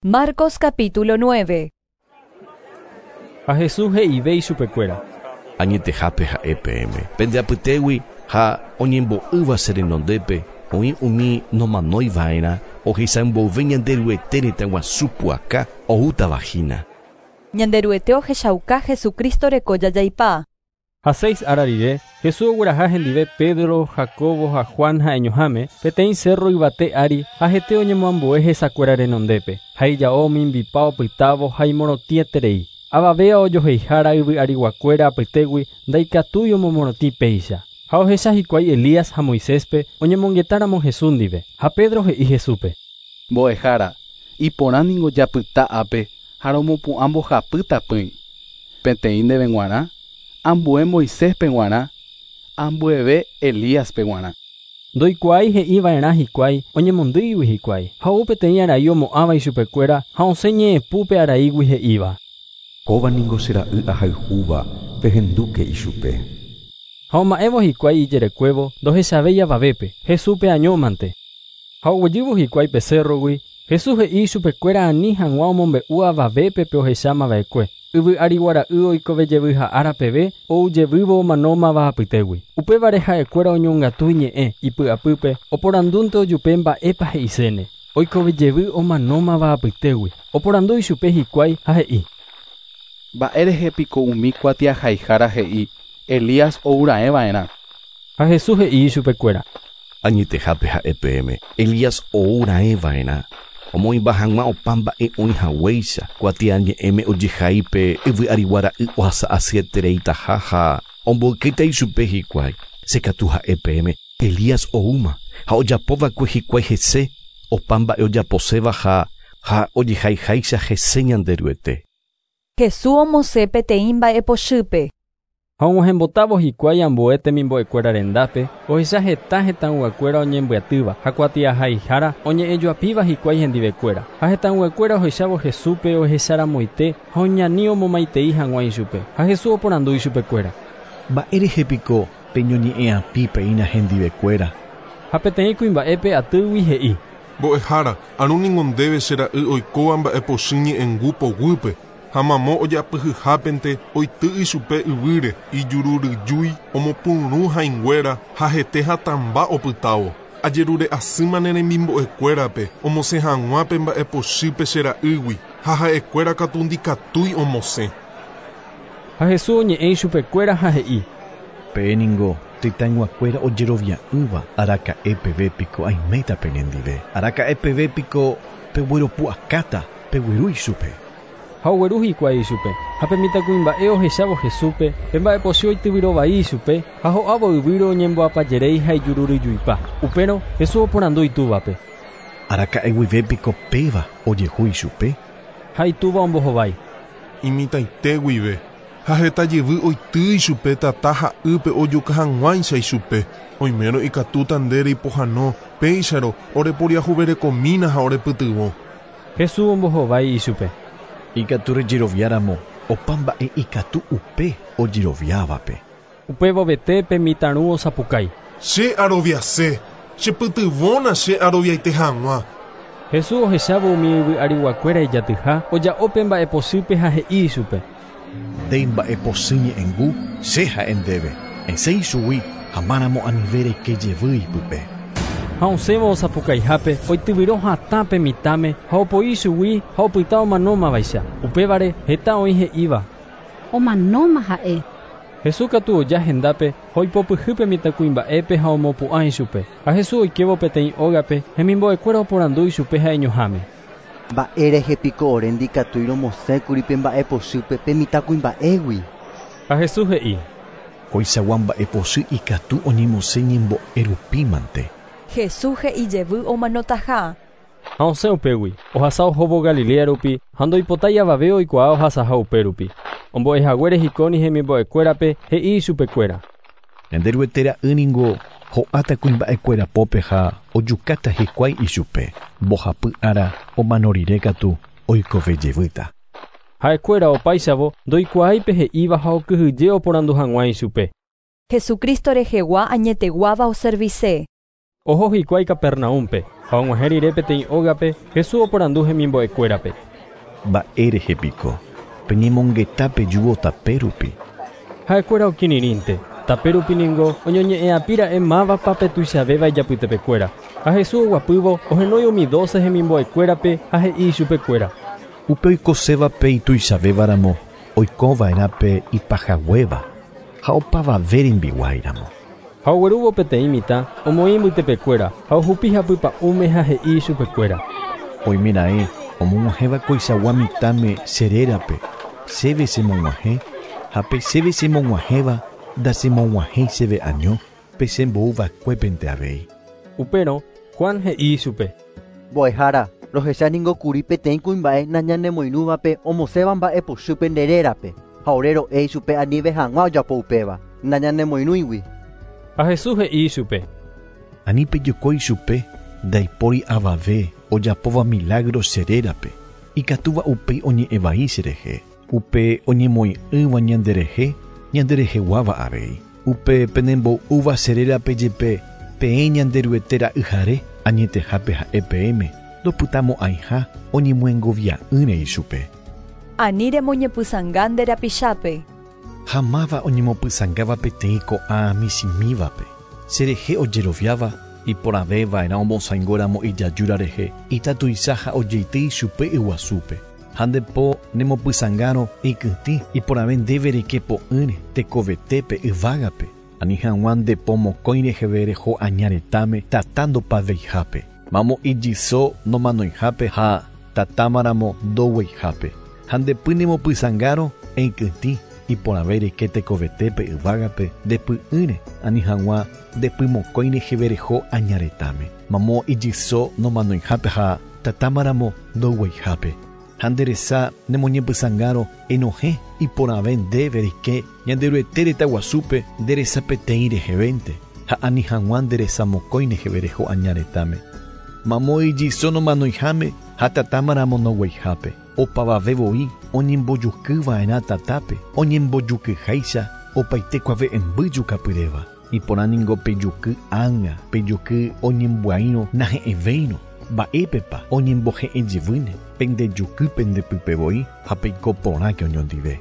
Marcos capítulo 9. Ha Jesús he'ive ichupekuéra. Añetehápe ha'e peẽme, pende apytégui ha oñembo'ýva che renondépe oĩ umi nomanói va'erã ohecha mboyve Ñanderuete retãguasu pu'aka oútava hína. Ñanderuete ohechauka Jesucristo reko jajaipa. Ha seis ára rire, Jesús ogueraha hendive Pedro, Jacobo ha Juan ha'eñoháme, peteĩ cerro yvate ári ha hete oñemoambue hesakuéra renondépe. Ha ijao omimbipa opytávo ha imorotĩeterei. Avavéva ojoheihára yvy ariguakuéra apytégui ndaikatúi omomorotĩ péicha. Ha ohecha hikuái Elías ha Moiséspe oñemongetáramo Jesús ndive. Ha Pedro he'i Jesúspe. Mbo'ehára, iporã ningo japyta ápe ha romopu'ã mbohapy tapỹi. Peteĩ ndéve g̃uarã, ambue Moiséspe g̃uarã, ambueve Elíaspe g̃uarã. Ndoikuaái he'iva'erã hikuái oñemondýigui hikuái. Ha ou peteĩ arai omo'ãva ichupekuéra ha osẽ ñe'ẽpúpe araígui he'íva. Kóva ningo che ra'y ahayhúva pehendúke ichupe. Ha oma'ẽvo hikuái ijerekuévo ndohechavéi avavépe, Jesúspe añómante. Ha oguejývo hikuái pe cerrogui, Jesús he'i ichupekuéra ani hag̃ua omombe'u avavépe pe ohechámava'ekue. Yvy ariguara'y oikovejevy ha ára peve oujevývo omanómava apytégui. Upévare ha'ekuéra oñongatu iñe'ẽ ipy'apýpe oporandúnte ojupe mba'épa he'iséne. Oikovejevy omanómava apytégui. Oporandu ichupe hikuái ha he'i. Mba'érehe piko umi kuatiahaihára he'i Elías ouraẽva'erã. Ha Jesús he'i ichupekuéra. Añetehápe ha'e peẽme, Elías ouraẽva'erã. Omoĩmba hag̃ua opa mba'e oĩhaguéicha kuatiañe'ẽme ojehai pe yvy ariguara'y ohasa'asyetereitaha ha omboykéta ichupe hikuái. Che katu ha'e peẽme, Elías oúma ha ojapova'ekue hikuái hese opa mba'e ojaposéva ha ha ojehaiháicha hese Ñanderuete. Jesús omosẽ peteĩ mba'epochýpe. Ha og̃uahẽmbotávo hikuái ambue temimbo'ekuéra rendápe, ohecha heta hetãyguakuéra oñembyatýva ha kuatiahaihára oñe'ẽjoapíva hikuái hendivekuéra. Ha hetãyguakuéra ohechávo Jesúspe ohecharamoite ha oñani omomaitei hag̃ua ichupe. Ha Jesús oporandu ichupekuéra. Mba'érehe piko peñoñe'ẽapi peína hendivekuéra. Ha peteĩ kuimba'épe atýgui he'i. Mbo'ehára, aru ningo ndéve che ra'y oikóva mba'epochy ñe'ẽngu poguýpe. Ha mamo ojapyhyhápente oity ichupe yvýre, ijururyjúi, omopyrũ hãinguéra ha hete hatãmba opytávo. Ajerure asýma ne remimbo'ekuérape omosẽ hag̃ua pe mba'epochýpe che ra'ýgui ha ha'ekuéra katu ndikatúi omosẽ. Ha Jesús oñe'ẽ ichupekuéra ha he'i. Peẽ ningo tetãyguakuéra ojerovia'ỹva araka'e peve piko aiméta penendive. Araka'e peve piko pegueropu'akáta pegueru ichupe. Ha ogueru hikuái ichupe. Ha pe mitãkuimba'e ohechávo Jesúspe, pe mba'epochy oityvyrovai ichupe ha ho'ávo yvýre oñemboapajeréi ha ijururyjuipa. Upérõ Jesús oporandu itúvape. Araka'e guive piko péva ojehu ichupe. Ha itúva ombohovái. Imitãite guive. Ha heta jevy oity ichupe tata ha ýpe ojuka hag̃uáicha ichupe. Oimérõ ikatúta nde reipohãno, péicharõ oreporiahuverekomína ha orepytyvõ. Jesús ombohovái ichupe. Ikatu rejeroviáramo opa mba'e ikatu upe ojeroviávape. Upévovete pe mitãru osapukái. Che aroviase, chepytyvõna che aroviaite hag̃ua. Jesús ohechávo umi yvy ariguakuéra ijatyha, oja'o pe mba'epochýpe ha he'i ichupe. Nde mba'epochy ñe'ẽngu che ha'e ndéve. Esẽ ichugui ha máramo anive reike jevy ipype. Ha osẽvo osapukaihápe oityvyro hatã pe mitãme ha opoi ichugui ha opyta omanómavaicha. Upévare heta oĩ he'íva. Omanóma ha'e. Jesús katu oja hendápe ha oipopyhy pe mitãkuimba'épe ha omopu'ã ichupe. Ha Jesús oikévo peteĩ ógape hemimbo'ekuéra oporandu ichupe ha'eñoháme. Mba'érehe piko ore ndikatúi romosẽkuri pe mba'epochýpe pe mitãkuimba'égui. Ha Jesús he'i. Koichagua mba'epochy ikatu oñemosẽ ñembo'e rupímante. Jesús he'i jevy omanotaha. Ha osẽ upégui, ohasa ohóvo Galilea rupi ha ndoipotái avave oikuaa ohasaha upérupi. Ombo'ehaguére hikóni hemimbo'ekuérape he'i ichupekuéra. Ñanderuete ra'y ningo ho'áta kuimba'ekuéra pópe ha ojukáta hikuái ichupe. Mbohapy ára omano rire katu oikovejevýta. Ha'ekuéra opáichavo ndoikuaái pe he'íva ha okyhyje oporandu hag̃ua ichupe. Jesucristo rehegua añeteguáva oservise. Oho hikuái Capernaúmpe, ha og̃uahẽ rire peteĩ ógape, Jesús oporandu hemimbo'ekuérape. Mba'érehe piko peñemongeta pejúvo tape rupi. Ha'ekuéra okirirĩnte. Tape rupi ningo oñoñe'ẽapíra'e mávapa pe tuichavéva ijapytepekuéra. Ha Jesús oguapývo ohenói umi 12 hemimbo'ekuérape ha he'i ichupekuéra. Upe oikosévape ituichavévaramo oikova'erã pe ipahaguéva ha opavave rembiguáiramo. Ha oguerúvo peteĩ mitã omoĩ mbytepekuéra ha ohupi hapypa'ũme ha he'i ichupekuéra. Oimeraẽ omog̃uahẽva koichagua mitãme che rérape, chéve chemog̃uahẽ, ha pe chéve chemog̃uahẽva ndachemog̃uahẽi chéve año, pe chembouva'ekuépente avei. Upérõ Juan he'i ichupe. Mbo'ehára, rohecha ningo kuri peteĩ kuimba'e nañanemoirũvape omosẽva mba'epochýpe nde rérape, ha ore ro'e ichupe anive hag̃ua ojapo upéva, nañanemoirũigui. Ha Jesús he'i ichupe. Ani pejoko ichupe, ndaipóri avave ojapóva milagro che rérape, ikatúva upéi oñe'ẽvai cherehe, upe oñemoĩ'ỹva ñanderehe, ñandereheguáva avei. Upe penembo'úva che rérape jepe peẽ Ñanderuete ra'yhare añetehápe ha'e peẽme, ndopytamo'ãiha oñemyengovia'ỹre ichupe. Ani remoñepysãnga nde rapichápe. Ha máva oñemopysãngáva peteĩ ko'ã michĩmívape, cherehe ojeroviáva, iporãvéva'erã omosãingóramo ijajúra rehe ita tuicha ha ojeity ichupe yguasúpe. Ha nde po nemopysãngárõ eikytĩ, iporãve ndéve reike po'ỹre tekovetépe yvágape, ani hag̃ua nde po mokõi reheve reho aña retãme tata ndopaveihápe, mamo ijyso nomanoihápe ha tatámaramo ndogueihápe. Ha nde py nemopysãngárõ eikytĩ, iporãve reike tekovetépe yvágape nde py'ỹre, ani hag̃ua nde py mokõi reheve reho aña retãme, mamo ijyso nomanoihápe ha tatámaramo ndogueihápe. Ha nde resa nemoñepysãngárõ enohẽ, iporãve ndéve reike Ñanderuete retã guasúpe nde resa peteĩ rehevénte, ha ani hag̃ua nde resa mokõi reheve reho aña retãme, mamo ijyso nomanoiháme ha tatámaramo ndogueihápe. Opavave voi oñembojukyva'erã tatápe, oñembojukyháicha opaite kuave'ẽmby jukapyréva. Iporã ningo pe juky ág̃a, pe juky oñembyaírõ nahe'ẽvéirõ, mba'épepa oñembohe'ẽ jevýne, pende juky pende pype voi ha peiko porãke oñondive.